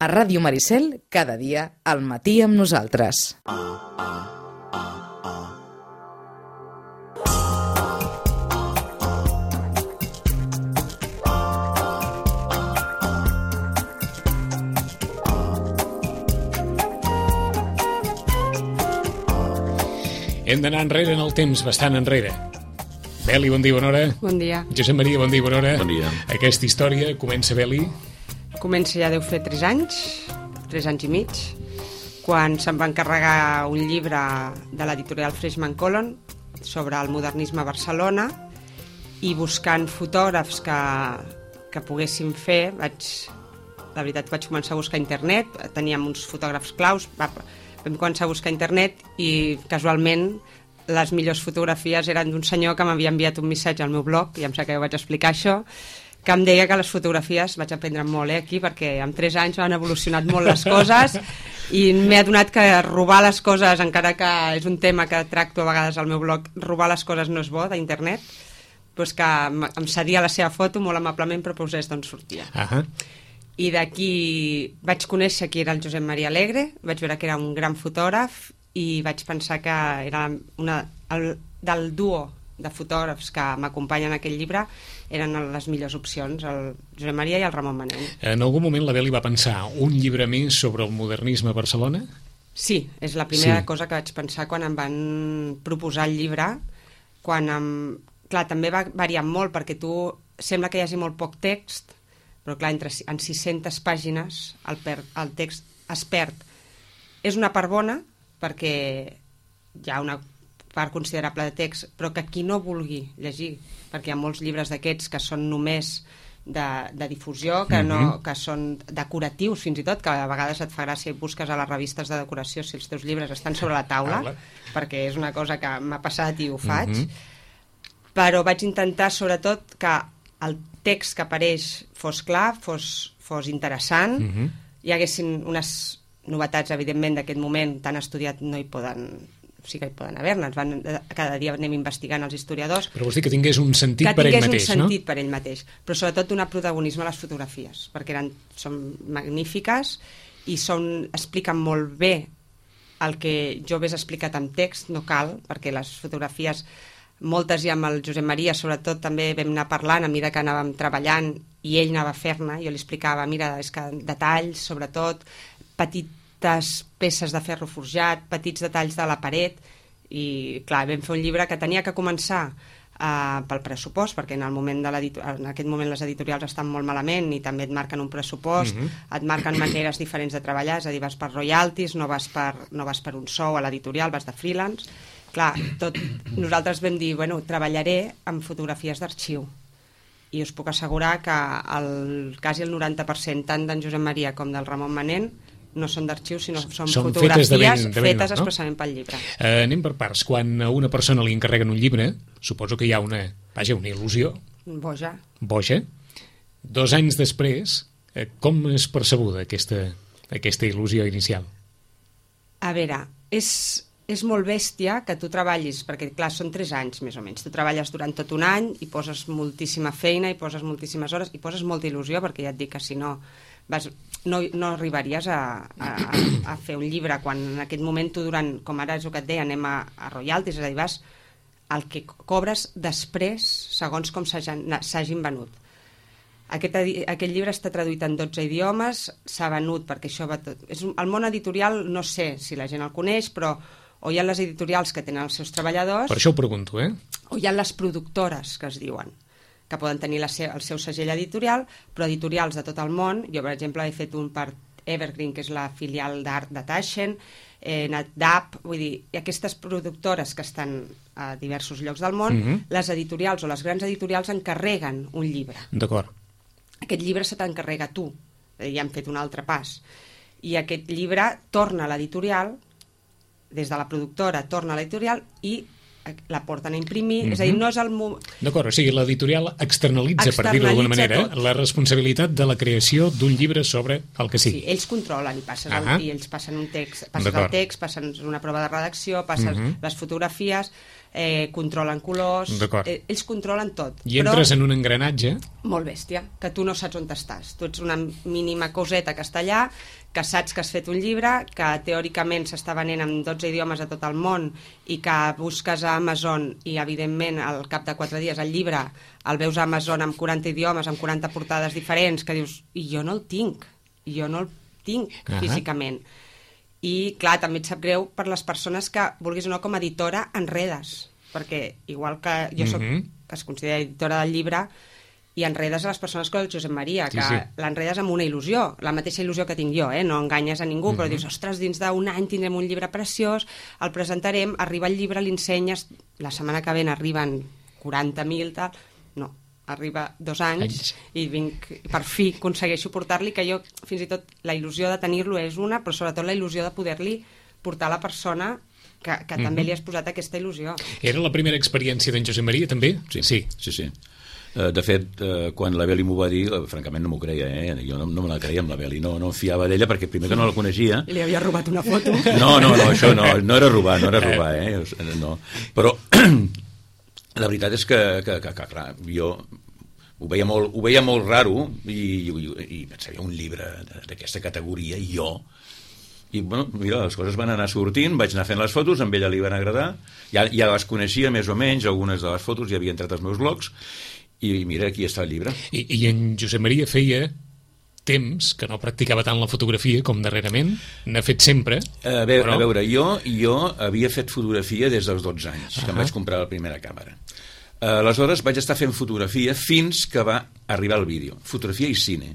A Ràdio Maricel, cada dia, al matí amb nosaltres. Hem d'anar enrere en el temps, bastant enrere. Beli, bon dia, bona hora. Bon dia. Josep Maria, bon dia, bona hora. Bon dia. Aquesta història comença, Beli. Comença ja deu fer 3 anys i mig, quan se'm va encarregar un llibre de l'editorial Freshman Colon sobre el modernisme a Barcelona, i buscant fotògrafs que poguéssim fer, la veritat vaig començar a buscar a internet, teníem uns fotògrafs claus, vam començar a buscar a internet i casualment les millors fotografies eren d'un senyor que m'havia enviat un missatge al meu blog, i em sap que jo vaig explicar això, que em deia que les fotografies, vaig aprendre molt aquí, perquè en 3 anys han evolucionat molt les coses i m'he adonat que robar les coses, encara que és un tema que tracto a vegades al meu blog, robar les coses no és bo d'internet, doncs que em cedia la seva foto molt amablement, però posés d'on sortia. I d'aquí vaig conèixer qui era el Josep Maria Alegre, vaig veure que era un gran fotògraf i vaig pensar que era del duo de fotògrafs que m'acompanyen en aquest llibre eren les millors opcions, el Josep Maria i el Ramon Manent. En algun moment la Beli va pensar un llibre més sobre el modernisme a Barcelona? Sí, és la primera cosa que vaig pensar quan em van proposar el llibre, clar, també va variar molt, perquè sembla que hi hagi molt poc text, però clar, en 600 pàgines el text es perd. És una part bona, perquè hi ha una part considerable de text, però que qui no vulgui llegir, perquè hi ha molts llibres d'aquests que són només de difusió, que són decoratius fins i tot, que a vegades et fa gràcia i busques a les revistes de decoració si els teus llibres estan sobre la taula, perquè és una cosa que m'ha passat i ho faig, però vaig intentar sobretot que el text que apareix fos clar, fos interessant, hi haguessin unes novetats, evidentment, d'aquest moment tan estudiat no hi poden... sí que hi poden haver-ne, cada dia anem investigant els historiadors. Però vols dir que tingués un sentit per ell mateix, no? Que tingués un sentit per ell mateix, però sobretot donar protagonisme a les fotografies, perquè són magnífiques i expliquen molt bé el que jo hagués explicat en text, no cal, perquè les fotografies, moltes i amb el Josep Maria, sobretot també vam anar parlant a mesura que anàvem treballant i ell anava a fer-ne, jo li explicava, mira, és que detalls, sobretot, petites peces de ferro forjat, petits detalls de la paret, i clar, vam fer un llibre que tenia que començar pel pressupost, perquè en aquest moment les editorials estan molt malament i també et marquen un pressupost, et marquen maneres diferents de treballar, és a dir, vas per royalties, no vas per un sou a l'editorial, vas de freelance. Clar, nosaltres vam dir, bueno, treballaré amb fotografies d'arxiu, i us puc assegurar que quasi el 90% tant d'en Josep Maria com del Ramon Manent no són d'arxiu, sinó són fotografies fetes especialment pel llibre. Anem per parts. Quan a una persona li encarreguen un llibre, suposo que hi ha una il·lusió. Boja. 2 anys després, com és percebuda aquesta il·lusió inicial? A veure, és molt bèstia que tu treballis, perquè clar, són 3 anys més o menys, tu treballes durant tot un any i poses moltíssima feina i poses moltíssimes hores i poses molta il·lusió, perquè ja et dic que si no no arribaries a fer un llibre quan en aquest moment tu com ara és el que et deia, anem a royalties, és a dir, vas el que cobres després segons com s'hagin venut. Aquest llibre està traduït en 12 idiomes, s'ha venut perquè això va tot... El món editorial no sé si la gent el coneix, però o hi ha les editorials que tenen els seus treballadors... Per això ho pregunto, o hi ha les productores, que es diuen, que poden tenir el seu segell editorial, però editorials de tot el món. Jo, per exemple, he fet un per Evergreen, que és la filial d'art de Taschen, NetDAP, vull dir, i aquestes productores que estan a diversos llocs del món, les editorials o les grans editorials encarreguen un llibre. D'acord. Aquest llibre se t'encarrega tu, ja hem fet un altre pas. I aquest llibre torna a l'editorial, des de la productora torna a l'editorial i la porten a imprimir, és a dir, no és el... D'acord, o sigui, l'editorial externalitza, per dir-ho d'alguna manera, la responsabilitat de la creació d'un llibre sobre el que sigui. Sí, ells controlen i ells passen un text, passen una prova de redacció, passen les fotografies, controlen colors, ells controlen tot. I entres en un engranatge molt bèstia, que tu no saps on estàs. Tu ets una mínima coseta que està allà, que saps que has fet un llibre, que teòricament s'està venent en 12 idiomes a tot el món i que busques a Amazon i, evidentment, al cap de 4 dies el llibre el veus a Amazon amb 40 idiomes, amb 40 portades diferents, que dius, i jo no el tinc físicament. I, clar, també et sap greu per les persones que, vulguis o no, com a editora, enredes. Perquè, igual que jo soc, que es considera editora del llibre, i enredes a les persones com el Josep Maria, que l'enredes amb una il·lusió, la mateixa il·lusió que tinc jo, no enganyes a ningú, però dius, ostres, dins d'un any tindrem un llibre preciós, el presentarem, arriba el llibre, l'ensenyes, la setmana que ve n'arriben 40.000, tal... No, arriba 2 anys i per fi aconsegueixo portar-li, que jo fins i tot la il·lusió de tenir-lo és una, però sobretot la il·lusió de poder-li portar a la persona que també li has posat aquesta il·lusió. Era la primera experiència d'en Josep Maria, també? Sí. De fet, quan la Beli m'ho va dir, francament no m'ho creia, jo no me la creia amb la Beli, no em fiava d'ella perquè primer que no la coneixia. Li havia robat una foto. No, això no era robar, no. Però la veritat és que clar, jo ho veia molt raro i pensava, un llibre d'aquesta categoria i jo, i bueno, mira, les coses van anar sortint, vaig anar fent les fotos, amb ella li van agradar, ja les coneixia més o menys, algunes de les fotos ja havia entrat als meus blogs, i mira, aquí està el llibre. I en Josep Maria feia temps que no practicava tant la fotografia com darrerament, n'ha fet sempre. A veure, jo havia fet fotografia des dels 12 anys, que em vaig comprar la primera càmera. Aleshores vaig estar fent fotografia fins que va arribar el vídeo, fotografia i cine.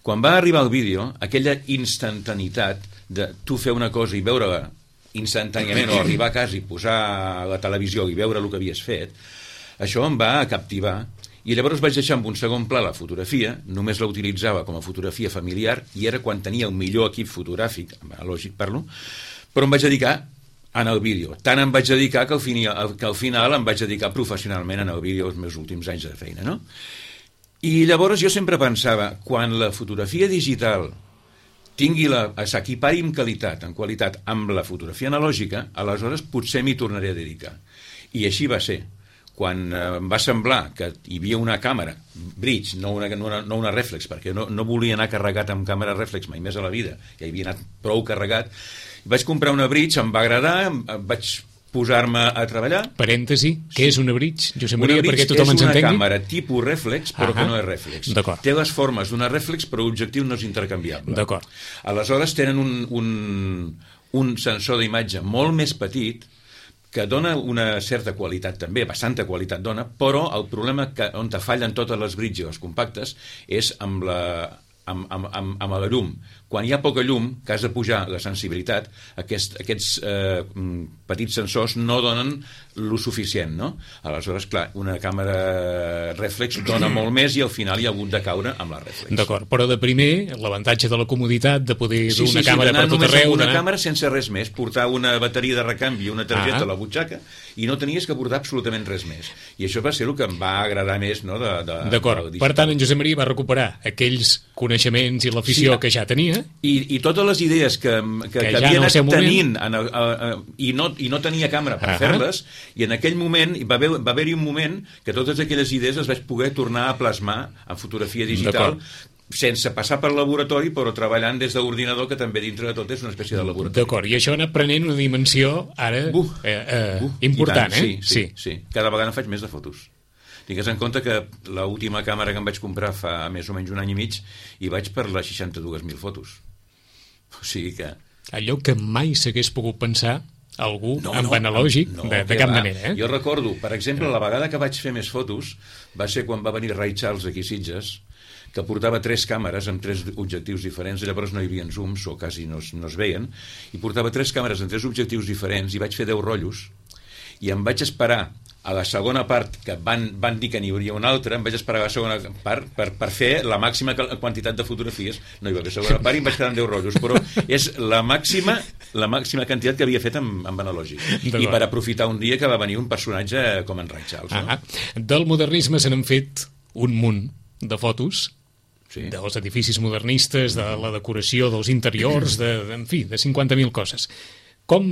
Quan va arribar el vídeo, aquella instantaneïtat de tu fer una cosa i veure-la instantàniament, o arribar a casa i posar a la televisió i veure el que havies fet, això em va captivar. I llavors vaig deixar en un segon pla la fotografia, només la utilitzava com a fotografia familiar, i era quan tenia el millor equip fotogràfic, lògic parlo, però em vaig dedicar en el vídeo. Tant em vaig dedicar que al final em vaig dedicar professionalment en el vídeo els meus últims anys de feina, no? I llavors jo sempre pensava, quan la fotografia digital s'equipari en qualitat amb la fotografia analògica, aleshores potser m'hi tornaré a dedicar. I així va ser. Quan em va semblar que hi havia una càmera bridge, no una reflex, perquè no volia anar carregat amb càmera reflex mai més a la vida, ja hi havia anat prou carregat, vaig comprar una bridge, em va agradar, vaig posar-me a treballar. Parèntesi, què és una bridge, Josep Maria, perquè tothom ens entengui? És una càmera tipus reflex, però que no és reflex. Té les formes d'una reflex, però l'objectiu no és intercanviable. D'acord. Aleshores tenen un sensor d'imatge molt més petit, que dona una certa qualitat també, bastanta qualitat dona, però el problema on te fallen totes les bridges compactes és amb la llum. Quan hi ha poca llum, que has de pujar la sensibilitat, aquests petits sensors no donen lo suficient, no? Aleshores, clar, una càmera reflex dona molt més i al final hi ha hagut de caure amb la reflex. D'acord, però de primer, l'avantatge de la comoditat de poder dur una càmera per tot arreu... Una càmera sense res més, portar una bateria de recanvi i una targeta a la butxaca i no tenies que portar absolutament res més. I això va ser el que em va agradar més, no? D'acord, per tant, en Josep Maria va recuperar aquells coneixements i l'afició que ja tenia... I totes les idees que havia anat tenint i no tenia càmera per fer-les, i en aquell moment va haver-hi un moment que totes aquelles idees les vaig poder tornar a plasmar en fotografia digital sense passar per laboratori, però treballant des d'ordinador, que també dintre de tot és una espècie de laboratori. D'acord, i això ha anat prenent una dimensió ara important, Sí. Cada vegada faig més de fotos. Tingues en compte que l'última càmera que em vaig comprar fa més o menys un any i mig i vaig per les 62.000 fotos. O sigui que... Allò que mai s'hagués pogut pensar algú amb analògic de cap manera. Jo recordo, per exemple, la vegada que vaig fer més fotos va ser quan va venir Ray Charles aquí a Sitges, que portava 3 càmeres amb 3 objectius diferents, llavors no hi havia zooms o quasi no es veien, i portava 3 càmeres amb 3 objectius diferents i vaig fer 10 rotllos i em vaig esperar a la segona part, que van dir que n'hi hauria una altra, em vaig esperar a la segona part per fer la màxima quantitat de fotografies. No hi va haver segona part i em vaig quedar amb 10 rotllos, però és la màxima la màxima quantitat que havia fet amb analògic. I per aprofitar un dia que va venir un personatge com en Ray Charles. No? Del modernisme se n'han fet un munt de fotos, sí, dels edificis modernistes, de la decoració, dels interiors, en fi, de 50.000 coses. Com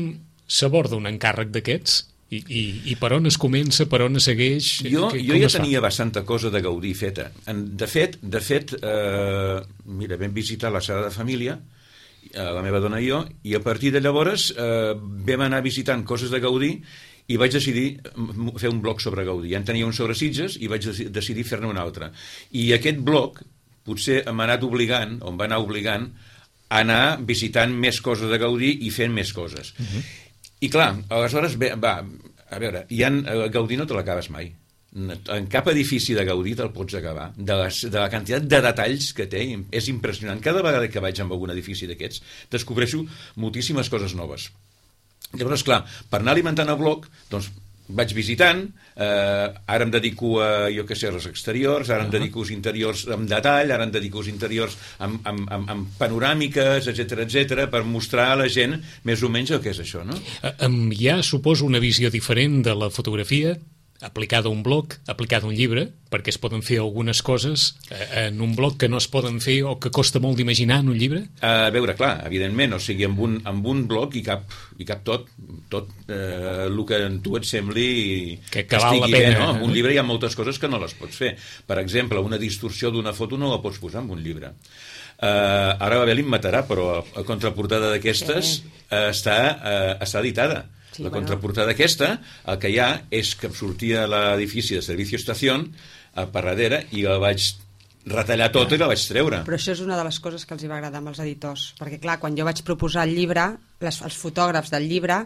s'aborda un encàrrec d'aquests? I per on es comença, per on es segueix? Jo ja tenia bastanta cosa de Gaudí feta. De fet, mira, vam visitar la Sagrada Família, la meva dona i jo, i a partir de llavors vam anar visitant coses de Gaudí i vaig decidir fer un blog sobre Gaudí. Ja en tenia un sobre Sitges i vaig decidir fer-ne un altre. I aquest blog potser m'ha anat obligant, o em va anar obligant, a anar visitant més coses de Gaudí i fent més coses. I clar, aleshores, a veure, Gaudí no te l'acabes mai. En cap edifici de Gaudí te'l pots acabar. De la quantitat de detalls que té, és impressionant. Cada vegada que vaig a algun edifici d'aquests, descobreixo moltíssimes coses noves. Llavors, clar, per anar alimentant el blog, doncs, vaig visitant, ara em dedico a, jo què sé, als exteriors, ara em dedico als interiors amb detall, ara em dedico als interiors amb panoràmiques, etc, per mostrar a la gent més o menys el que és això, no? Hi ha, suposo, una visió diferent de la fotografia aplicada a un blog, aplicada a un llibre, perquè es poden fer algunes coses en un blog que no es poden fer o que costa molt d'imaginar en un llibre? A veure, clar, evidentment, o sigui, amb un blog hi cap tot el que a tu et sembli que val la pena. No? Un llibre hi ha moltes coses que no les pots fer. Per exemple, una distorsió d'una foto no la pots posar en un llibre. Ara Babel em matarà, però la contraportada d'aquestes està editada. Sí, la contraportada aquesta, el que hi ha és que em sortia l'edifici de Servicio Estación per darrere i la vaig retallar tota i la vaig treure. Però això és una de les coses que els va agradar amb els editors, perquè clar, quan jo vaig proposar el llibre, els fotògrafs del llibre,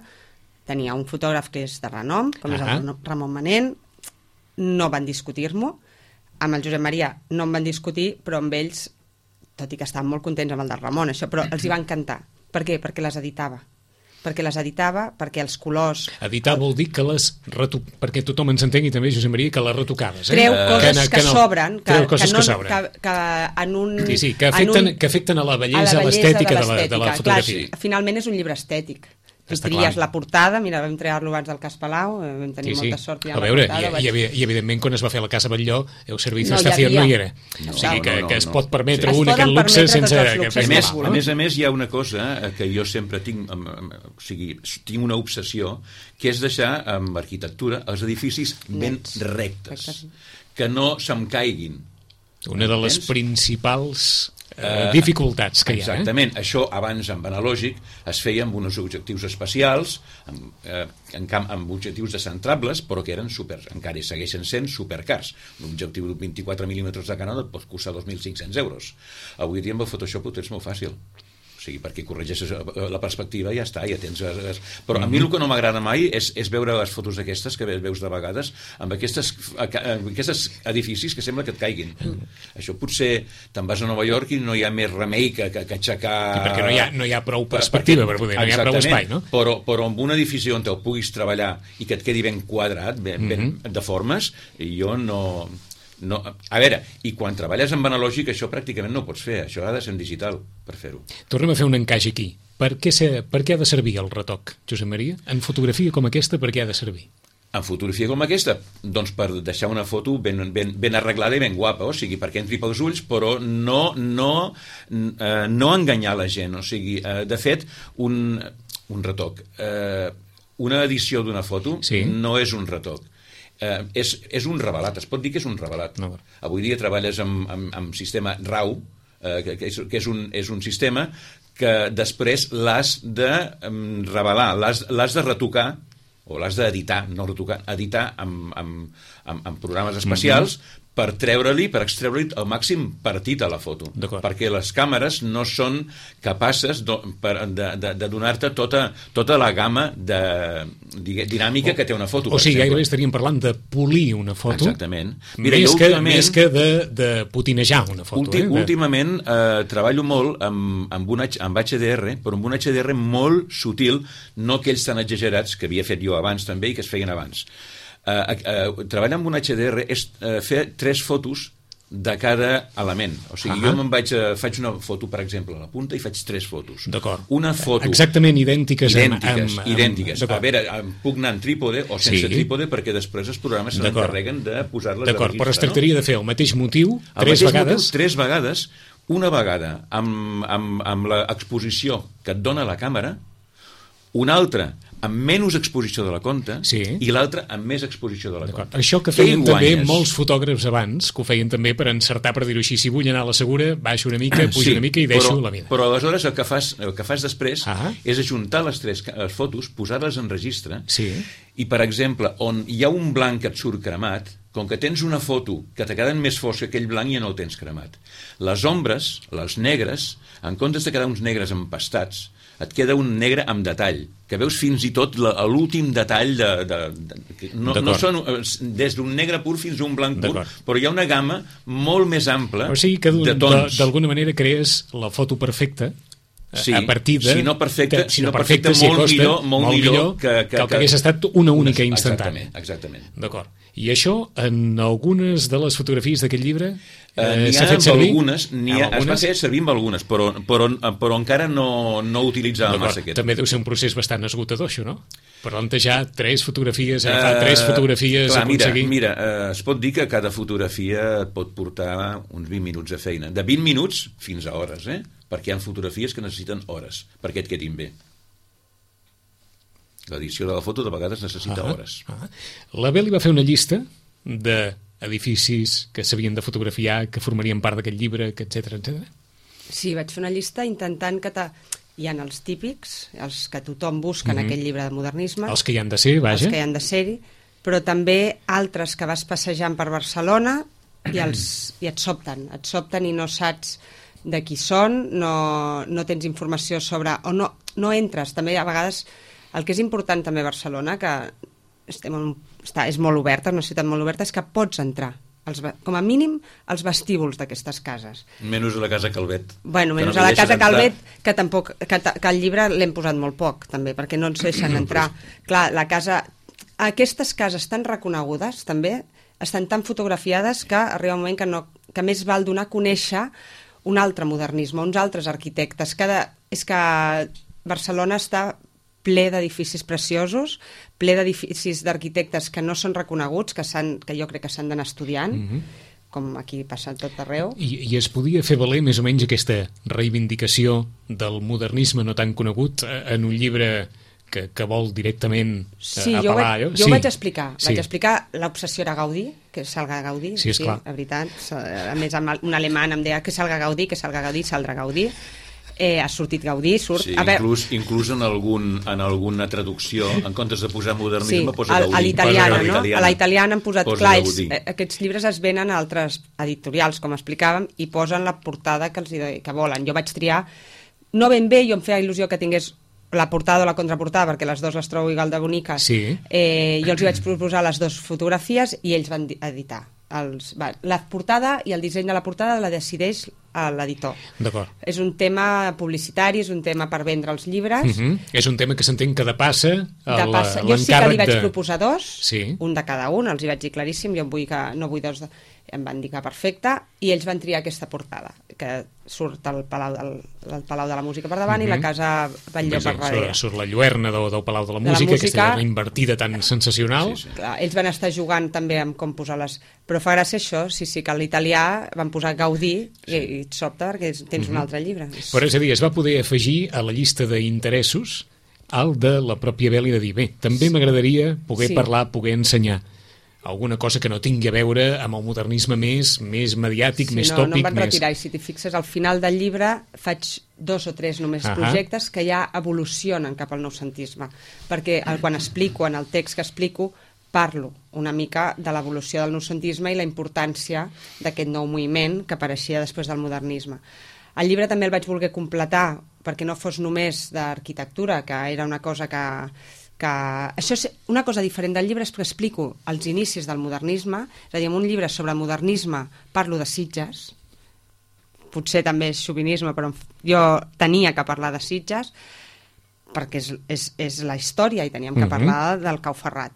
tenia un fotògraf que és de renom, com és el Ramon Manent, no van discutir-m'ho, amb el Josep Maria no em van discutir, però amb ells, tot i que estaven molt contents amb el del Ramon, això, però els hi va encantar. Per què? Perquè les editava, perquè els colors... Editar vol dir que perquè tothom ens entengui també, Josep Maria, que les retocaves. Treu coses que sobren, que en un... Sí, que afecten a la bellesa, a l'estètica de la fotografia. Clar, finalment és un llibre estètic. Tu tries la portada, mira, vam treure-lo abans del Cas Palau, vam tenir molta sort. A veure, i evidentment quan es va fer la Casa Batlló, el Servicio Estación no hi era. O sigui que es pot permetre aquest luxe sense... A més, hi ha una cosa que jo sempre tinc, o sigui, tinc una obsessió, que és deixar amb arquitectura els edificis ben rectes, que no se'm caiguin. Una de les principals... dificultats que hi ha. Exactament, això abans amb analògic es feia amb uns objectius especials, amb objectius descentrables, però que eren encara segueixen sent supercars. Un objectiu de 24 mil·límetres de Canon et pot costar 2.500 euros. Avui dia amb el Photoshop ho tens molt fàcil. O sigui, perquè corregeixes la perspectiva i ja està, ja tens... Però a mi el que no m'agrada mai és veure les fotos aquestes que veus de vegades amb aquests edificis que sembla que et caiguin. Això potser te'n vas a Nova York i no hi ha més remei que aixecar... Perquè no hi ha prou perspectiva per poder, no hi ha prou espai, no? Però amb un edifici on te'l puguis treballar i que et quedi ben quadrat, ben de formes, jo no... A veure, i quan treballes amb analògic això pràcticament no ho pots fer, això ha de ser en digital per fer-ho. Tornem a fer un encaix aquí. Per què ha de servir el retoc, Josep Maria? En fotografia com aquesta, per què ha de servir? En fotografia com aquesta? Doncs per deixar una foto ben arreglada i ben guapa, o sigui, perquè entri pels ulls, però no enganyar la gent. O sigui, de fet, un retoc, una edició d'una foto no és un retoc. És un revelat, es pot dir que és un revelat. Avui dia treballes amb sistema RAW, que és un sistema que després l'has de revelar, l'has de retocar, o l'has d'editar, no retocar, editar amb programes especials per extreure-li el màxim partit a la foto, perquè les càmeres no són capaces de donar-te tota la gamma dinàmica que té una foto. O sigui, gairebé estaríem parlant de polir una foto. Exactament. Més que de potinejar una foto. Últimament treballo molt amb HDR, però amb un HDR molt sutil, no aquells tan exagerats que havia fet jo abans també i que es feien abans. Treballar amb un HDR és fer 3 fotos de cada element. O sigui, jo faig una foto, per exemple, a la punta i faig 3 fotos. D'acord. Una foto... Exactament idèntiques. Idèntiques. A veure, puc anar en trípode o sense trípode, perquè després els programes se n'encarreguen de posar-les a registrar. D'acord, però es tractaria de fer el mateix motiu 3 vegades? 3 vegades, una vegada amb l'exposició que et dona la càmera, una altra amb menys exposició de la compte i l'altra amb més exposició de la compte. Això que feien també molts fotògrafs abans, que ho feien també per encertar, per dir-ho així, si vull anar a la segura, baixo una mica, pujo una mica i deixo la mida. Però aleshores el que fas després és ajuntar les fotos, posar-les en registre, i per exemple, on hi ha un blanc que et surt cremat, com que tens una foto que te queden més fosc que aquell blanc, ja no el tens cremat. Les ombres, les negres, en comptes de quedar uns negres empastats, et queda un negre amb detall, que veus fins i tot l'últim detall no són des d'un negre pur fins a un blanc pur, però hi ha una gamma molt més ampla de tons. O sigui que d'alguna manera crees la foto perfecta a partir de... Si no perfecta, molt millor que el que hagués estat una única instantània. Exactament. D'acord. I això, en algunes de les fotografies d'aquest llibre, s'ha fet servir? Es va fer servir amb algunes, però encara no utilitzava massa aquest. També deu ser un procés bastant esgotador, això, no? Plantejar 3 fotografies, agafar 3 fotografies, aconseguir... Mira, es pot dir que cada fotografia pot portar uns 20 minuts de feina. De 20 minuts fins a hores, perquè hi ha fotografies que necessiten hores perquè et quedin bé. L'edició de la foto de vegades necessita hores. La Beli va fer una llista d'edificis que s'havien de fotografiar, que formarien part d'aquest llibre, etc. Sí, vaig fer una llista intentant que... Hi ha els típics, els que tothom busca en aquest llibre de modernisme. Els que hi han de ser, vaja. Els que hi han de ser-hi, però també altres que vas passejant per Barcelona i et sobten i no saps de qui són, no tens informació sobre... o no entres, també a vegades... El que és important també a Barcelona, que és molt oberta, una ciutat molt oberta, és que pots entrar, com a mínim, als vestíbuls d'aquestes cases. Menys a la casa Calvet. Bueno, menys a la casa Calvet, que al llibre l'hem posat molt poc, també, perquè no ens deixen entrar. Clar, aquestes cases tan reconegudes, també, estan tan fotografiades que arriba un moment que més val donar a conèixer un altre modernisme, uns altres arquitectes. És que Barcelona està ple d'edificis preciosos, ple d'edificis d'arquitectes que no són reconeguts, que jo crec que s'han d'anar estudiant, com aquí passa tot arreu. I es podia fer valer més o menys aquesta reivindicació del modernisme no tan conegut en un llibre que vol directament apel·lar? Jo ho vaig explicar. Vaig explicar l'obsessió era Gaudí, que salga Gaudí. Sí, esclar. La veritat. A més, un alemany em deia que salga Gaudí, saldrà Gaudí. Ha sortit Gaudí, surt... Sí, inclús en alguna traducció, en comptes de posar modernisme, posa Gaudí. A l'italiana, no? A la italiana han posat... Clar, aquests llibres es venen a altres editorials, com explicàvem, i posen la portada que volen. Jo vaig triar... No ben bé, jo em feia il·lusió que tingués la portada o la contraportada, perquè les dues les trobo igual de boniques. Jo els vaig proposar les dues fotografies i ells van editar. La portada i el disseny de la portada la decideix l'editor. D'acord. És un tema publicitari, és un tema per vendre els llibres. És un tema que s'entén que depassa l'encàrrec. Jo sí que li vaig proposar 2, un de cada un, els hi vaig dir claríssim, jo no vull 2, em van dir que perfecte, i ells van triar aquesta portada, que surt el Palau de la Música per davant i la Casa Batlló per darrere. Surt la lluerna del Palau de la Música, aquesta invertida tan sensacional. Clar, ells van estar jugant també amb com posar-les, però fa gràcia això, sí, que a l'italià van posar Gaudí i et sobta perquè tens un altre llibre. Però és a dir, es va poder afegir a la llista d'interessos el de la pròpia Beli de dir, bé, també m'agradaria poder parlar, poder ensenyar alguna cosa que no tingui a veure amb el modernisme més mediàtic, més tòpic. No em van retirar, i si t'hi fixes, al final del llibre faig 2 o 3 només projectes que ja evolucionen cap al noucentisme, perquè quan explico, en el text que explico, parlo una mica de l'evolució del noucentisme i la importància d'aquest nou moviment que apareixia després del modernisme. El llibre també el vaig voler completar perquè no fos només d'arquitectura, que era una cosa que això és una cosa diferent del llibre, és que explico els inicis del modernisme, és a dir, en un llibre sobre modernisme parlo de Sitges, potser també és xovinisme, però jo tenia que parlar de Sitges, perquè és la història i teníem que parlar del Cau Ferrat,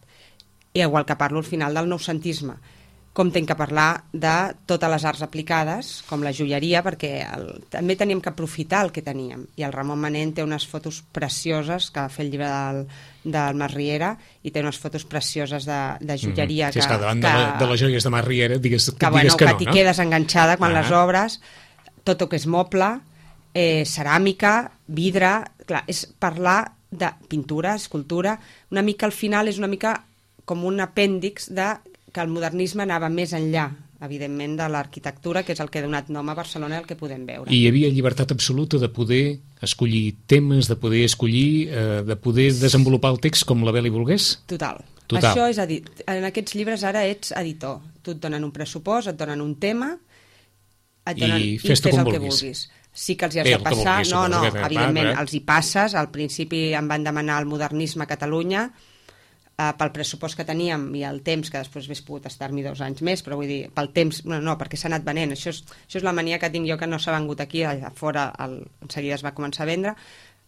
igual que parlo al final del noucentisme. com tinc que parlar de totes les arts aplicades, com la joieria, perquè també teníem que aprofitar el que teníem. I el Ramon Manent té unes fotos precioses, que va fer el llibre del Mas Riera, i té unes fotos precioses de joieria. Sí, és que davant de les joies de Mas Riera digues que no, no. T'hi quedes enganxada quan les obres, tot el que és moble, ceràmica, vidre... Clar, és parlar de pintura, escultura, una mica al final és una mica com un apèndix de que el modernisme anava més enllà, evidentment, de l'arquitectura, que és el que ha donat nom a Barcelona, el que podem veure. I hi havia llibertat absoluta de poder escollir temes, de poder escollir, de poder desenvolupar el text com la Beli volgués? Total. Això és en aquests llibres ara ets editor. Tu et donen un pressupost, et donen un tema, i fes el que vulguis. Sí que els hi has de passar, evidentment els hi passes. Al principi em van demanar el modernisme a Catalunya, pel pressupost que teníem i el temps, que després hagués pogut estar-m'hi 2 anys més, però vull dir, pel temps, no, perquè s'ha anat venent. Això és la mania que tinc jo, que no s'ha vengut aquí, a fora en seguida es va començar a vendre,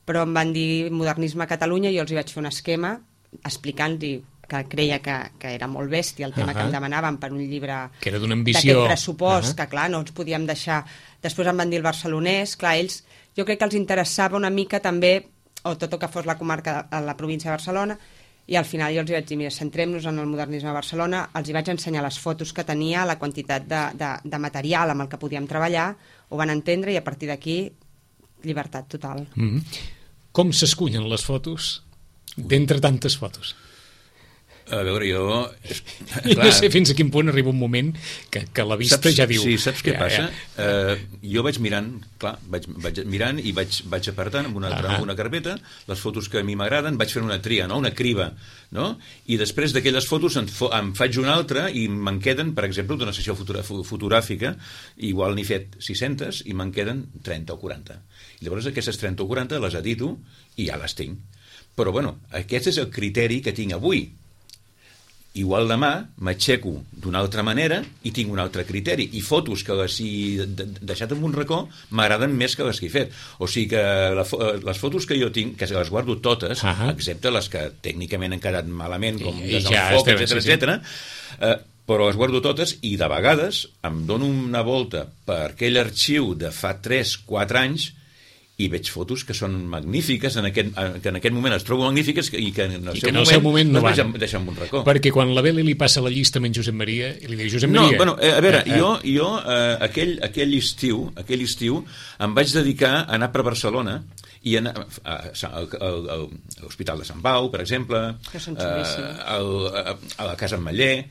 però em van dir modernisme a Catalunya i jo els hi vaig fer un esquema explicant-li que creia que era molt bèstia el tema que em demanaven per un llibre que era d'una ambició d'aquest pressupost, que clar, no ens podíem deixar. Després em van dir el barcelonès, clar, ells, jo crec que els interessava una mica també, o tot el que fos la comarca de la província de Barcelona, i al final jo els vaig dir, mira, centrem-nos en el modernisme a Barcelona, els hi vaig ensenyar les fotos que tenia, la quantitat de material amb el que podíem treballar, ho van entendre i a partir d'aquí llibertat total. Com s'escullen les fotos d'entre tantes fotos? A veure, jo... I no sé fins a quin punt arriba un moment que la vista ja diu... Sí, saps què passa? Jo vaig mirant, clar, vaig mirant i vaig apartant amb una carpeta les fotos que a mi m'agraden, vaig fer una tria, no? Una criba, no? I després d'aquelles fotos em faig una altra i me'n queden, per exemple, d'una sessió fotogràfica, igual n'he fet 600 i me'n queden 30 o 40. I llavors aquestes 30 o 40 les edito i ja les tinc. Però, bueno, aquest és el criteri que tinc avui. Igual demà m'aixeco d'una altra manera i tinc un altre criteri, i fotos que les he deixat en un racó m'agraden més que les que he fet. O sigui que les fotos que jo tinc, que les guardo totes, excepte les que tècnicament han quedat malament, com des del foc, etc., però les guardo totes, i de vegades em dono una volta per aquell arxiu de fa 3-4 anys i veig fotos que són magnífiques, que en aquest moment es trobo magnífiques i que en el seu moment no van. Deixar en un racó. Perquè quan la Beli li passa la llista amb en Josep Maria, i li diu, Josep Maria... No, bueno, a veure, jo aquell estiu em vaig dedicar a anar per Barcelona i anar a l'Hospital de Sant Pau, per exemple, a la Casa Ametller,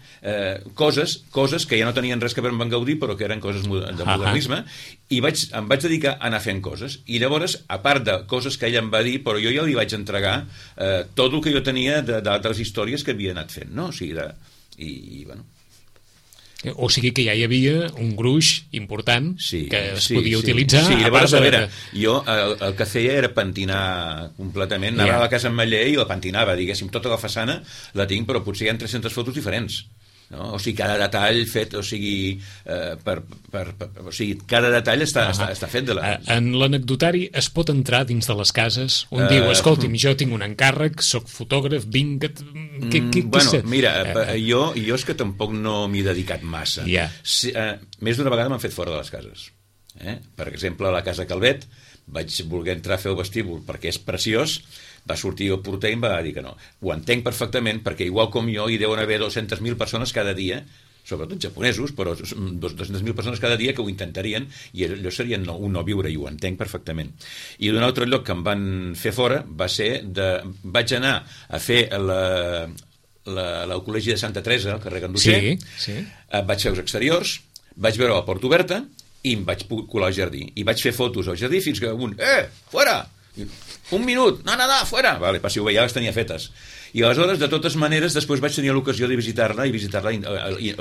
coses que ja no tenien res que veure amb en Gaudí, però que eren coses de modernisme, i em vaig dedicar a anar fent coses. I llavors, a part de coses que ell em va dir, però jo ja li vaig entregar tot el que jo tenia d'altres històries que havia anat fent, no? O sigui, i bueno... O sigui que ja hi havia un gruix important que es podia utilitzar. Sí, llavors, a veure, jo el que feia era pentinar completament, anava a la Casa Ametller i la pentinava, diguéssim, tota la façana la tinc, però potser hi ha 300 fotos diferents. No? O sigui, cada detall fet, o sigui, cada detall està fet de la... En l'anecdotari es pot entrar dins de les cases? Un diu, escolti'm, jo tinc un encàrrec, soc fotògraf, vinc... Bueno, mira, jo és que tampoc no m'hi he dedicat massa. Més d'una vegada m'han fet fora de les cases. Per exemple, a la Casa Calvet vaig voler entrar a fer el vestíbul perquè és preciós, va sortir el porter i em va dir que no. Ho entenc perfectament, perquè igual com jo hi deuen haver 200.000 persones cada dia, sobretot japonesos, però 200.000 persones cada dia que ho intentarien, i allò seria un no viure, i ho entenc perfectament. I d'un altre lloc que em van fer fora va ser vaig anar a fer el Col·legi de Santa Teresa, al carrer Ganduxer, vaig fer els exteriors, vaig veure la porta oberta i em vaig colar al jardí. I vaig fer fotos al jardí fins que un... fora! Un minut, no, fora! Vale, passi-ho bé, ja les tenia fetes. I aleshores, de totes maneres, després vaig tenir l'ocasió de visitar-la a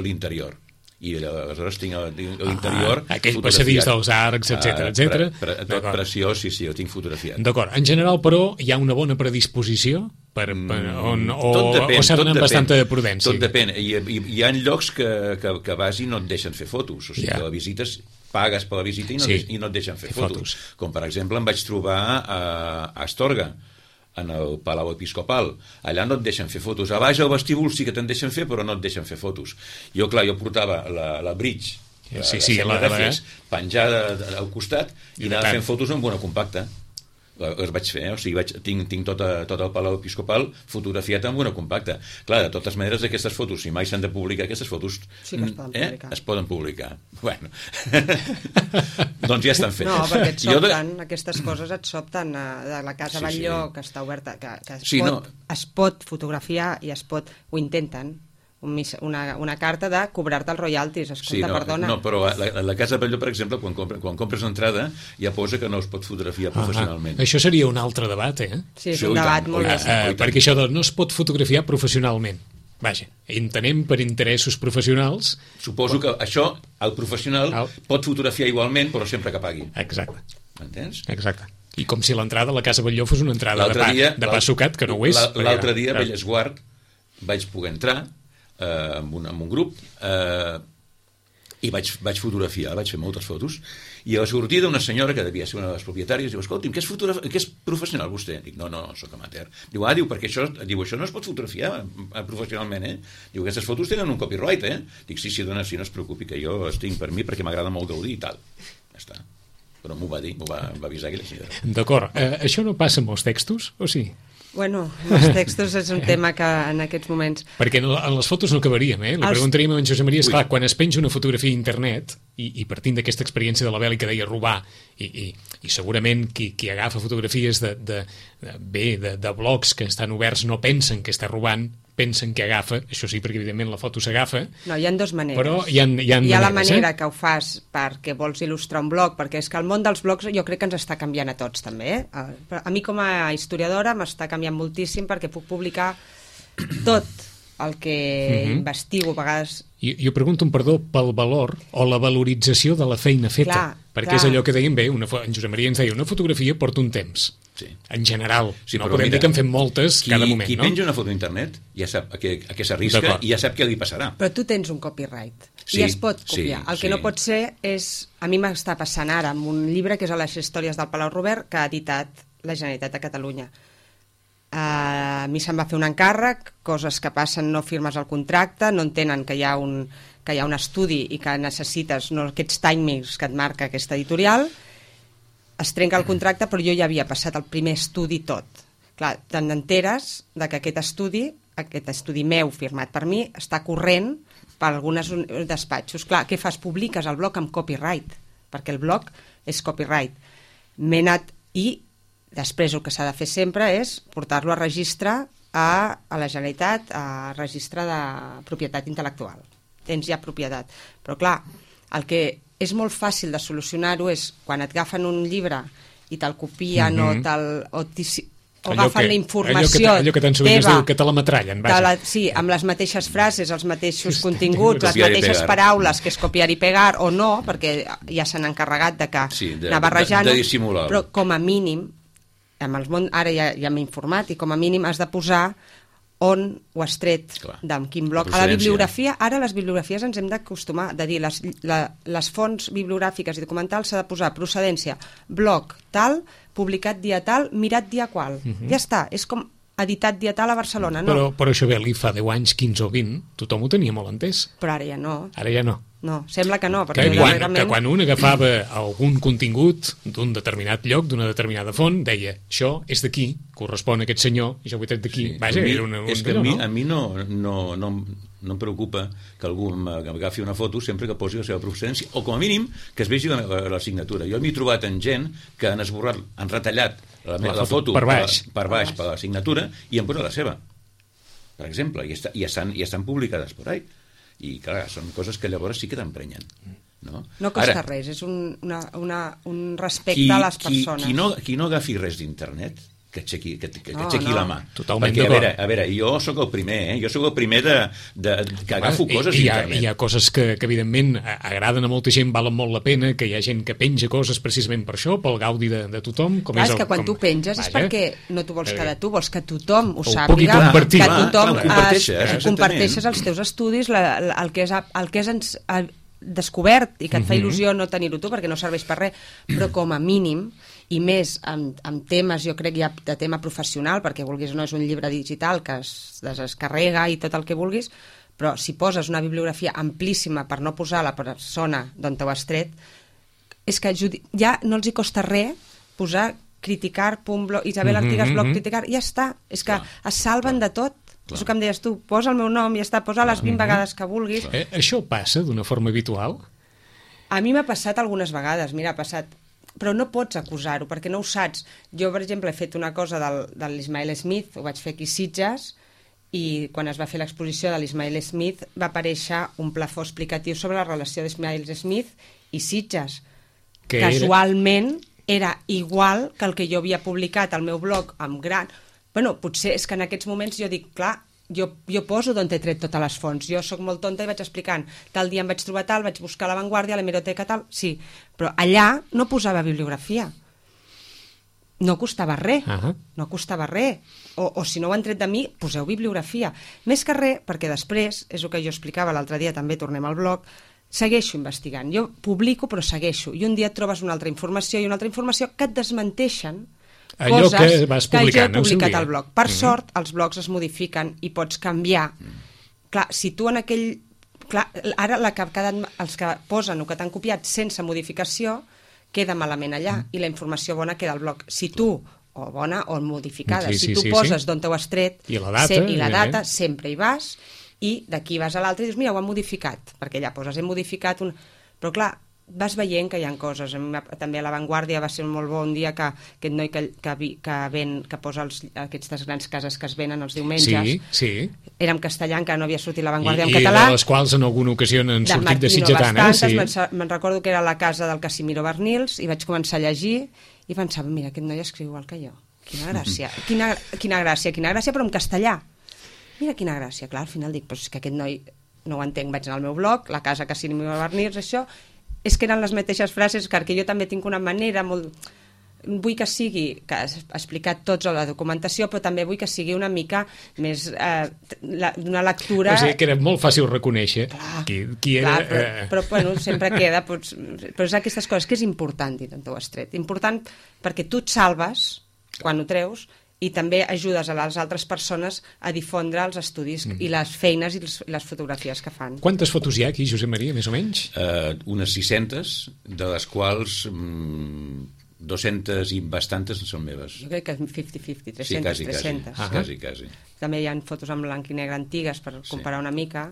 l'interior. I aleshores tinc l'interior... aquell passadís dels arcs, etc. Preciós, sí, ho tinc fotografiat. D'acord. En general, però, hi ha una bona predisposició? O s'ha d'anar amb bastanta prudència? Tot depèn. Hi ha llocs que vas i no et deixen fer fotos. O sigui, que la visites... pagues per la visita i no et deixen fer fotos. Com per exemple em vaig trobar a Astorga, en el Palau Episcopal. Allà no et deixen fer fotos. A baix al vestíbul sí que te'n deixen fer, però no et deixen fer fotos. Jo portava la bridge, penjada al costat, i anava fent fotos amb una compacta. Les vaig fer, o sigui, tinc tot el Palau Episcopal fotografiat amb una compacta. Clar, de totes maneres, aquestes fotos, si mai s'han de publicar, aquestes fotos sí que es poden publicar. Bueno, doncs ja estan fetes. No, perquè et sobten, aquestes coses et sobten de la Casa Batlló, que està oberta, que es pot fotografiar i ho intenten. Una carta de cobrar-te els royalties. Escolta, perdona. No, però la Casa Batlló, per exemple, quan compres l'entrada, ja posa que no es pot fotografiar professionalment. Això seria un altre debat, Sí, és un debat molt més. Perquè això no es pot fotografiar professionalment. Vaja, entenem per interessos professionals. Suposo que això, el professional pot fotografiar igualment, però sempre que pagui. Exacte. M'entens? Exacte. I com si l'entrada a la Casa Batlló fos una entrada de pa sucat, que no ho és. L'altre dia, a Bellesguard, vaig poder entrar amb un grup i vaig fotografiar, vaig fer moltes fotos, i a la sortida una senyora que devia ser una de les propietàries diu, escolti'm, què és professional vostè? Dic, no, soc amateur. Diu, perquè això no es pot fotografiar professionalment, Diu, aquestes fotos tenen un copyright, Dic, sí, dona, sí, no es preocupi, que jo els tinc per mi perquè m'agrada molt gaudir i tal. Ja està. Però m'ho va dir, m'ho va avisar aquella senyora. D'acord. Això no passa amb els textos, o sí? Bueno, els textos és un tema que en aquests moments... Perquè en les fotos no acabaríem, Li preguntaríem a en Josep Maria, esclar, quan es penja una fotografia a internet, i partint d'aquesta experiència de la Beli que deia robar, i segurament qui agafa fotografies de blogs que estan oberts no pensen que està robant, pensen que agafa, això sí, perquè evidentment la foto s'agafa. No, hi ha dues maneres. Però hi ha la manera que ho fas perquè vols il·lustrar un blog, perquè és que el món dels blogs jo crec que ens està canviant a tots també. A mi com a historiadora m'està canviant moltíssim perquè puc publicar tot el que investigo a vegades. Jo pregunto un perdó pel valor o la valorització de la feina feta, perquè és allò que dèiem bé, en Josep Maria ens deia, una fotografia porta un temps. Sí. En general, no podem dir que en fem moltes cada moment, qui penja una foto a internet ja sap a què s'arrisca i ja sap què li passarà. Però tu tens un copyright i es pot copiar. El que no pot ser és... A mi m'està passant ara amb un llibre que és a les històries del Palau Robert que ha editat la Generalitat de Catalunya. A mi se'm va fer un encàrrec, coses que passen, no firmes el contracte, no entenen que hi ha un estudi i que necessites aquests timings que et marca aquesta editorial. Es trenca el contracte, però jo ja havia passat el primer estudi tot. Clar, te n'enteres que aquest estudi meu firmat per mi està corrent per alguns despatxos. Clar, què fas? Publiques el blog amb copyright, perquè el blog és copyright. M'he anat i després el que s'ha de fer sempre és portar-lo a registre a la Generalitat, a registre de propietat intel·lectual. Tens ja propietat. Però clar, el que és molt fàcil de solucionar-ho és quan et agafen un llibre i te'l copien o agafen la informació allò que tan sovint es diu que te la metrallen, sí, amb les mateixes frases, els mateixos continguts, les mateixes paraules, que és copiar i pegar o no, perquè ja s'han encarregat de anar barrejant, però com a mínim ara ja m'he informat i com a mínim has de posar on ho has tret, de quin bloc. A la bibliografia, ara les bibliografies ens hem d'acostumar de dir les fonts bibliogràfiques i documentals s'ha de posar procedència, bloc tal, publicat dia tal, mirat dia qual. Ja està, és com editat dia tal a Barcelona, no? Però això bé, fa 10 anys, 15 o 20, tothom ho tenia molt entès. Però ara ja no. Ara ja no. No, sembla que no. Que quan un agafava algun contingut d'un determinat lloc, d'una determinada font, deia, això és d'aquí, correspon a aquest senyor, i jo ho he tret d'aquí. Vaja, és que a mi no em preocupa que algú agafi una foto sempre que posi la seva procedència, o com a mínim que es vegi la signatura. Jo m'he trobat en gent que han esborrat, han retallat la foto per baix per la signatura i han posat la seva, per exemple, i estan publicades per ahí. I clar, són coses que llavors sí que t'emprenyen. No costa res, és un respecte a les persones. Qui no agafi res d'internet, que aixequi la mà. Totalment perquè, a veure, jo sóc el primer, jo sóc el primer que agafo coses d'internet. Hi ha coses que evidentment agraden a molta gent, valen molt la pena, que hi ha gent que penja coses precisament per això, pel gaudi de tothom. És que quan tu penges és perquè no t'ho vols quedar tu, vols que tothom ho sàpiga, que tothom comparteixes els teus estudis, el que has descobert i que et fa il·lusió no tenir-ho tu perquè no serveix per res, però com a mínim i més amb temes, jo crec, ja de tema professional, perquè vulguis o no és un llibre digital que es descarrega i tot el que vulguis, però si poses una bibliografia amplíssima per no posar la persona d'on t'ho has tret, és que ja no els hi costa res posar criticar, Isabel Artigas, blog criticar, ja està, és que es salven de tot. És el que em deies tu, posa el meu nom i ja està, posa les 20 vegades que vulguis. Això passa d'una forma habitual? A mi m'ha passat algunes vegades, mira, ha passat, però no pots acusar-ho, perquè no ho saps. Jo, per exemple, he fet una cosa de l'Ismael Smith, ho vaig fer aquí a Sitges, i quan es va fer l'exposició de l'Ismael Smith va aparèixer un plafó explicatiu sobre la relació d'Ismael Smith i Sitges. Que casualment era igual que el que jo havia publicat al meu blog amb gran... Bueno, potser és que en aquests moments jo dic, clar, jo poso d'on he tret totes les fonts. Jo sóc molt tonta i vaig explicant, tal dia em vaig trobar tal, vaig buscar a La Vanguardia, a l'hemeroteca tal... Sí, però allà no posava bibliografia. No costava res, no costava res. O si no ho han tret de mi, poseu bibliografia. Més que res, perquè després, és el que jo explicava l'altre dia, també tornem al blog, segueixo investigant. Jo publico, però segueixo. I un dia et trobes una altra informació i una altra informació que et desmenteixen allò que vas publicant, que jo he publicat al blog. Per sort, els blogs es modifiquen i pots canviar. Clar, si tu en aquell... Clar, ara els que posen o que t'han copiat sense modificació queda malament allà i la informació bona queda al blog. Si tu, o bona o modificada, si tu poses d'on t'ho has tret i la data, sempre hi vas i d'aquí vas a l'altre i dius, mira, ho han modificat, perquè ja poses, he modificat un... Però clar, vas veient que hi ha coses. També a La Vanguardia va ser un molt bon dia que aquest noi que posa aquestes grans cases que es venen els diumenges, era en castellà, encara no havia sortit La Vanguardia en català. I de les quals en alguna ocasió han sortit de sitgetanes. Me'n recordo que era la casa del Casimiro Bernils i vaig començar a llegir i pensava, mira, aquest noi escriu igual que jo. Quina gràcia, quina gràcia, però en castellà. Mira quina gràcia, clar, al final dic, però és que aquest noi no ho entenc, vaig anar al meu blog, la casa Casimiro Bernils, això... És que eren les mateixes frases, perquè jo també tinc una manera molt... Vull que sigui, que has explicat tots a la documentació, però també vull que sigui una mica més d'una lectura... O sigui, que era molt fàcil reconèixer qui era... Però bueno, sempre queda... Però és aquestes coses que és important dir on t'ho has tret. Important perquè tu et salves quan ho treus i també ajudes a les altres persones a difondre els estudis i les feines i les fotografies que fan. Quantes fotos hi ha aquí, Josep Maria, més o menys? Unes 600, de les quals 200 i bastantes són meves. Jo crec que és 50-50, 300. Quasi. També hi ha fotos en blanc i negre antigues per comparar una mica,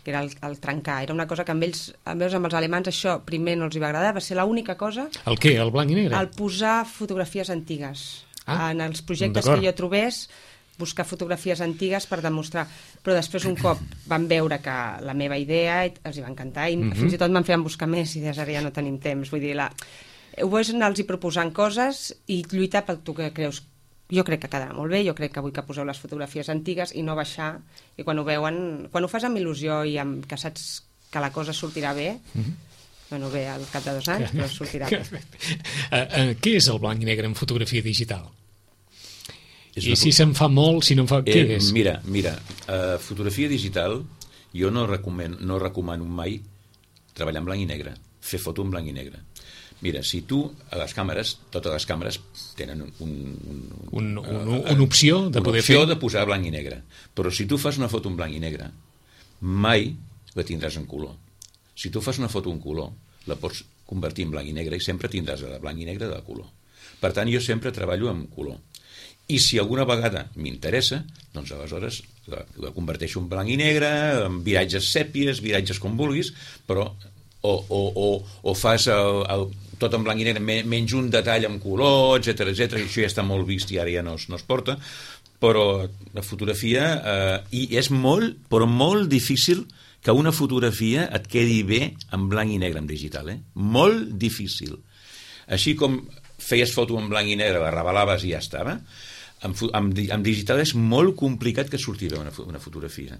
que era el trencar. Era una cosa que amb els alemans això primer no els hi va agradar, va ser l'única cosa... El què? El blanc i negre? El posar fotografies antigues. En els projectes que jo trobés, buscar fotografies antigues per demostrar. Però després un cop van veure que la meva idea els hi va encantar i fins i tot me'n feien buscar més idees, ara ja no tenim temps. Vull dir, ho és anar-los proposant coses i lluitar pel tu que creus. Jo crec que quedarà molt bé, jo crec que vull que poseu les fotografies antigues i no baixar, i quan ho veuen, quan ho fas amb il·lusió i que saps que la cosa sortirà bé, bueno, bé, al cap de 2 anys, però sortirà bé. Què és el blanc i negre en fotografia digital? I si se'n fa molt, si no en fa... Què és? Mira, fotografia digital jo no recomano mai treballar en blanc i negre, fer foto en blanc i negre. Mira, si tu, a les càmeres, totes les càmeres tenen una opció de poder fer... Una opció de posar blanc i negre. Però si tu fas una foto en blanc i negre, mai la tindràs en color. Si tu fas una foto en color, la pots convertir en blanc i negre i sempre tindràs de blanc i negre de color. Per tant, jo sempre treballo en color. I si alguna vegada m'interessa, doncs aleshores la converteixo en blanc i negre, en viratges sèpies, viratges com vulguis, però o fas tot en blanc i negre, menys un detall en color, etc, i això ja està molt vist i ara ja no es porta, però la fotografia i és molt difícil que una fotografia et quedi bé en blanc i negre en digital, molt difícil. Així com feies foto en blanc i negre, la revelaves i ja estava, en digital és molt complicat que surti bé una fotografia.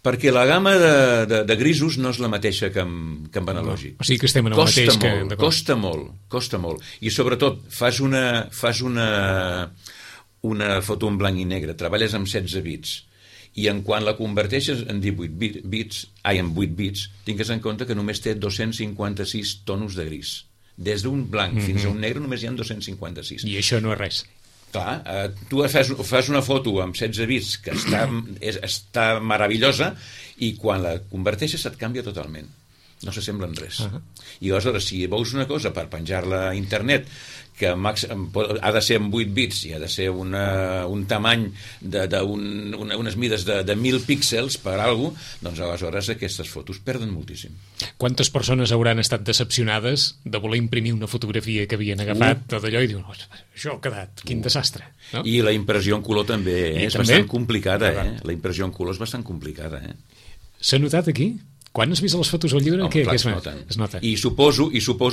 Perquè la gamma de grisos no és la mateixa que en analògic. O sigui que estem en el mateix que... Costa molt. I sobretot, fas una foto en blanc i negre, treballes amb 16 bits, i en quan la converteixes en 8 bits, tingues en compte que només té 256 tonos de gris. Des d'un blanc fins a un negre només hi ha 256. I això no és res. Clar, tu fas una foto amb 16 bits que està meravellosa i quan la converteixes et canvia totalment. No s'assembla en res. I aleshores, si veus una cosa per penjar-la a internet que ha de ser amb 8 bits i ha de ser un tamany unes mides de 1.000 píxels per alguna cosa, doncs aleshores aquestes fotos perden moltíssim. Quantes persones hauran estat decepcionades de voler imprimir una fotografia que havien agafat d'allò i diuen, això ha quedat, quin desastre. No? I la impressió en color també és bastant complicada. La impressió en color és bastant complicada. S'ha notat aquí? Quan has vist les fotos al llibre? Home, clar, es nota. I suposo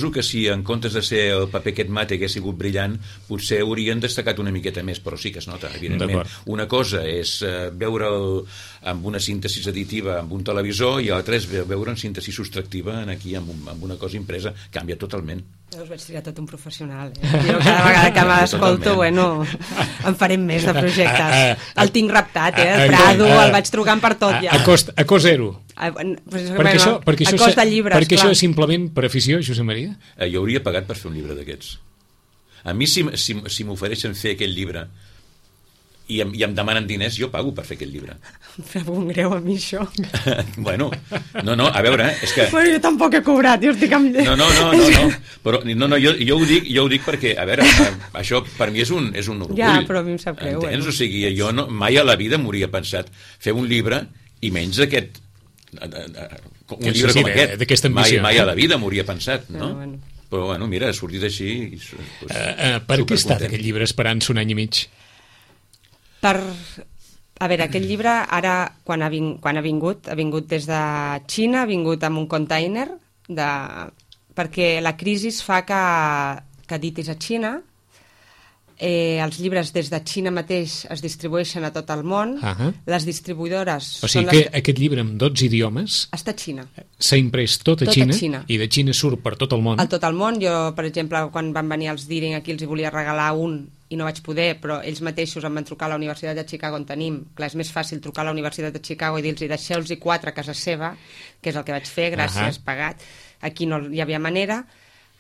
que si en comptes de ser el paper aquest mate hagués sigut brillant, potser haurien destacat una miqueta més, però sí que es nota, evidentment. Una cosa és veure'l amb una síntesi editiva amb un televisor i l'altra és veure en síntesi subtractiva aquí amb una cosa impresa. Canvia totalment. Jo us vaig triar tot un professional. Jo cada vegada que m'escolto, en farem més de projectes. El tinc raptat, el Prado, el vaig trucant per tot ja. A cost zero. Perquè això és simplement per afició, Josep Maria? Jo hauria pagat per fer un llibre d'aquests. A mi, si m'ofereixen fer aquell llibre i em demanen diners, jo pago per fer aquest llibre. Em fa un greu a mi, això. Bueno, no, a veure, és que... Bueno, jo tampoc he cobrat, jo estic amb... No, però jo ho dic perquè, a veure, això per mi és un orgull. Ja, però a mi em sap greu. Entens? O sigui, jo mai a la vida m'hauria pensat fer un llibre i menys d'aquest... un llibre com aquest. Mai a la vida m'hauria pensat, no? Però, bueno, mira, ha sortit així... Per què ha estat aquest llibre esperant-se un any i mig? A veure, aquest llibre ara, quan ha vingut des de Xina, ha vingut amb un container, perquè la crisi fa que editis a Xina, els llibres des de Xina mateix es distribueixen a tot el món, les distribuïdores... O sigui que aquest llibre amb 12 idiomes està a Xina. S'ha imprès tot a Xina i de Xina surt per tot el món. A tot el món. Jo, per exemple, quan van venir els Deering aquí els hi volia regalar un i no vaig poder, però ells mateixos em van trucar a la Universitat de Chicago on tenim. Clar, és més fàcil trucar a la Universitat de Chicago i dir-los deixeu-los 4 a casa seva, que és el que vaig fer, gràcies, pagat. Aquí no hi havia manera.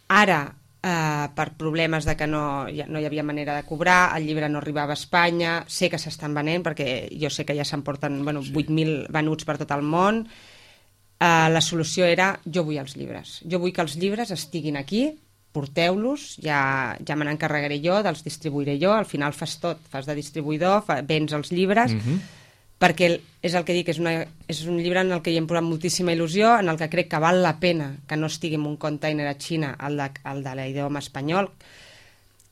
Ara, per problemes de que no hi havia manera de cobrar, el llibre no arribava a Espanya, sé que s'estan venent, perquè jo sé que ja s'emporten 8.000 venuts per tot el món. La solució era, jo vull els llibres. Jo vull que els llibres estiguin aquí, porteu-los, ja me n'encarregaré jo, dels distribuiré jo, al final fas tot, fas de distribuïdor, vens els llibres, perquè és el que dic, és un llibre en el que hi hem posat moltíssima il·lusió, en el que crec que val la pena que no estigui en un container a Xina, el de l'idioma espanyol,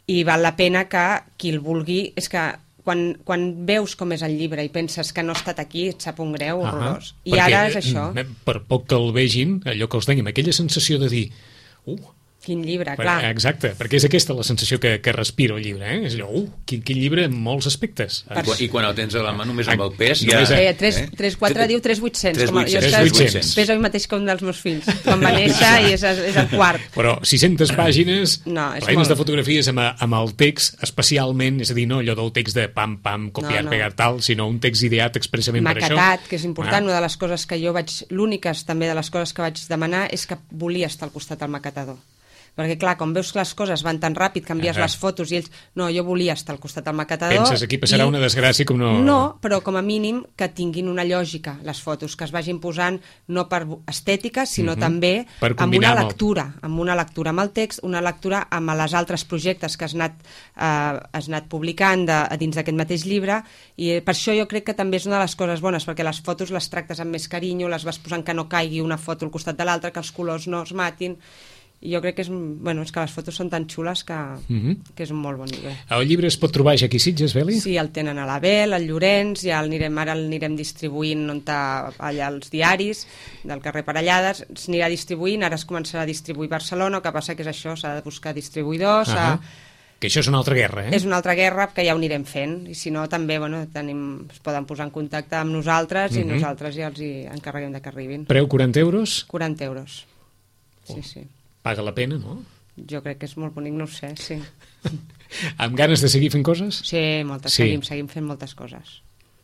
i val la pena que qui el vulgui, és que quan veus com és el llibre i penses que no ha estat aquí, et sap un greu horrorós. I ara és això. Per poc que el vegin, allò que els dèiem, aquella sensació de dir quin llibre, clar. Exacte, perquè és aquesta la sensació que respira el llibre, És allò, quin llibre en molts aspectes. I quan el tens a la mà només amb el pes... 3-4 diu 3.800. Pesa el mateix que un dels meus fills. Quan va néixer i és el quart. Però 600 pàgines, plenes de fotografies amb el text, especialment, és a dir, no allò del text de pam, copiar, pegar, tal, sinó un text ideat expressament per això. Maquetat, que és important. Una de les coses que jo l'úniques també de les coses que vaig demanar és que volia estar al costat del maquetador. Perquè, clar, com veus que les coses van tan ràpid, canvies les fotos i ells... No, jo volia estar al costat del maquetador... Penses, aquí passarà una desgràcia com no... No, però com a mínim que tinguin una lògica, les fotos, que es vagin posant no per estètica, sinó també amb una lectura, amb el text, una lectura amb els altres projectes que has anat publicant dins d'aquest mateix llibre, i per això jo crec que també és una de les coses bones, perquè les fotos les tractes amb més carinyo, les vas posant que no caigui una foto al costat de l'altra, que els colors no es matin... I jo crec que és que les fotos són tan xules que és un molt bon llibre. El llibre es pot trobar ja aquí a Sitges, Beli? Sí, el tenen a l'Abel, al Llorenç, ara el anirem distribuint allà als diaris del carrer Parellades, s'anirà distribuint, ara es començarà a distribuir a Barcelona, el que passa que és això, s'ha de buscar distribuïdors... Que això és una altra guerra, És una altra guerra que ja ho anirem fent, i si no també es poden posar en contacte amb nosaltres i nosaltres ja els encarreguem de que arribin. Preu 40 euros? 40 euros, sí. Paga la pena, no? Jo crec que és molt bonic, no ho sé, sí. Amb ganes de seguir fent coses? Sí, moltes. Seguim fent moltes coses.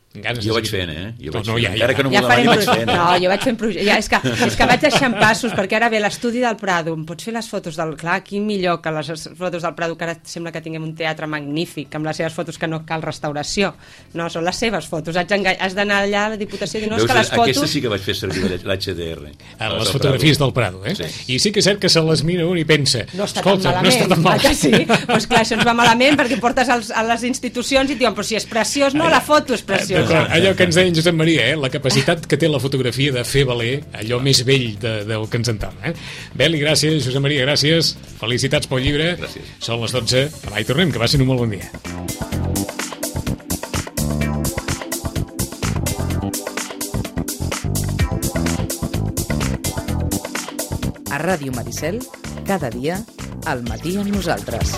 Jo vaig fent, Jo vaig No, fent. ja. Encara que no m'ho Ja farem demani, vaig fent. No, jo vaig fent projecte. Ja, és que vaig deixant passos, perquè ara ve l'estudi del Prado. Em pots fer les fotos del... Clar, quin millor que les fotos del Prado, que ara sembla que tinguem un teatre magnífic, amb les seves fotos que no cal restauració. No, són les seves fotos. Has d'anar allà a la Diputació i dir, no, és que les fotos... Aquesta sí que vaig fer servir l'HDR. Les fotografies del Prado, Sí. I sí que és cert que se les mira un i pensa, No està escolta, tan no malament. està tan malament. Sí? Pues clar, això ens va malament perquè portes a les institucions i et diuen, però si és preciós, no, la foto és preciosa. D'acord, allò que ens deia en Josep Maria, la capacitat que té la fotografia de fer valer allò més vell del que ens entorna. Beli, gràcies, Josep Maria, gràcies, felicitats pel llibre. Gràcies. Són les 12, demà hi tornem, que va ser un molt bon dia. A Ràdio Maricel, cada dia, al matí amb nosaltres.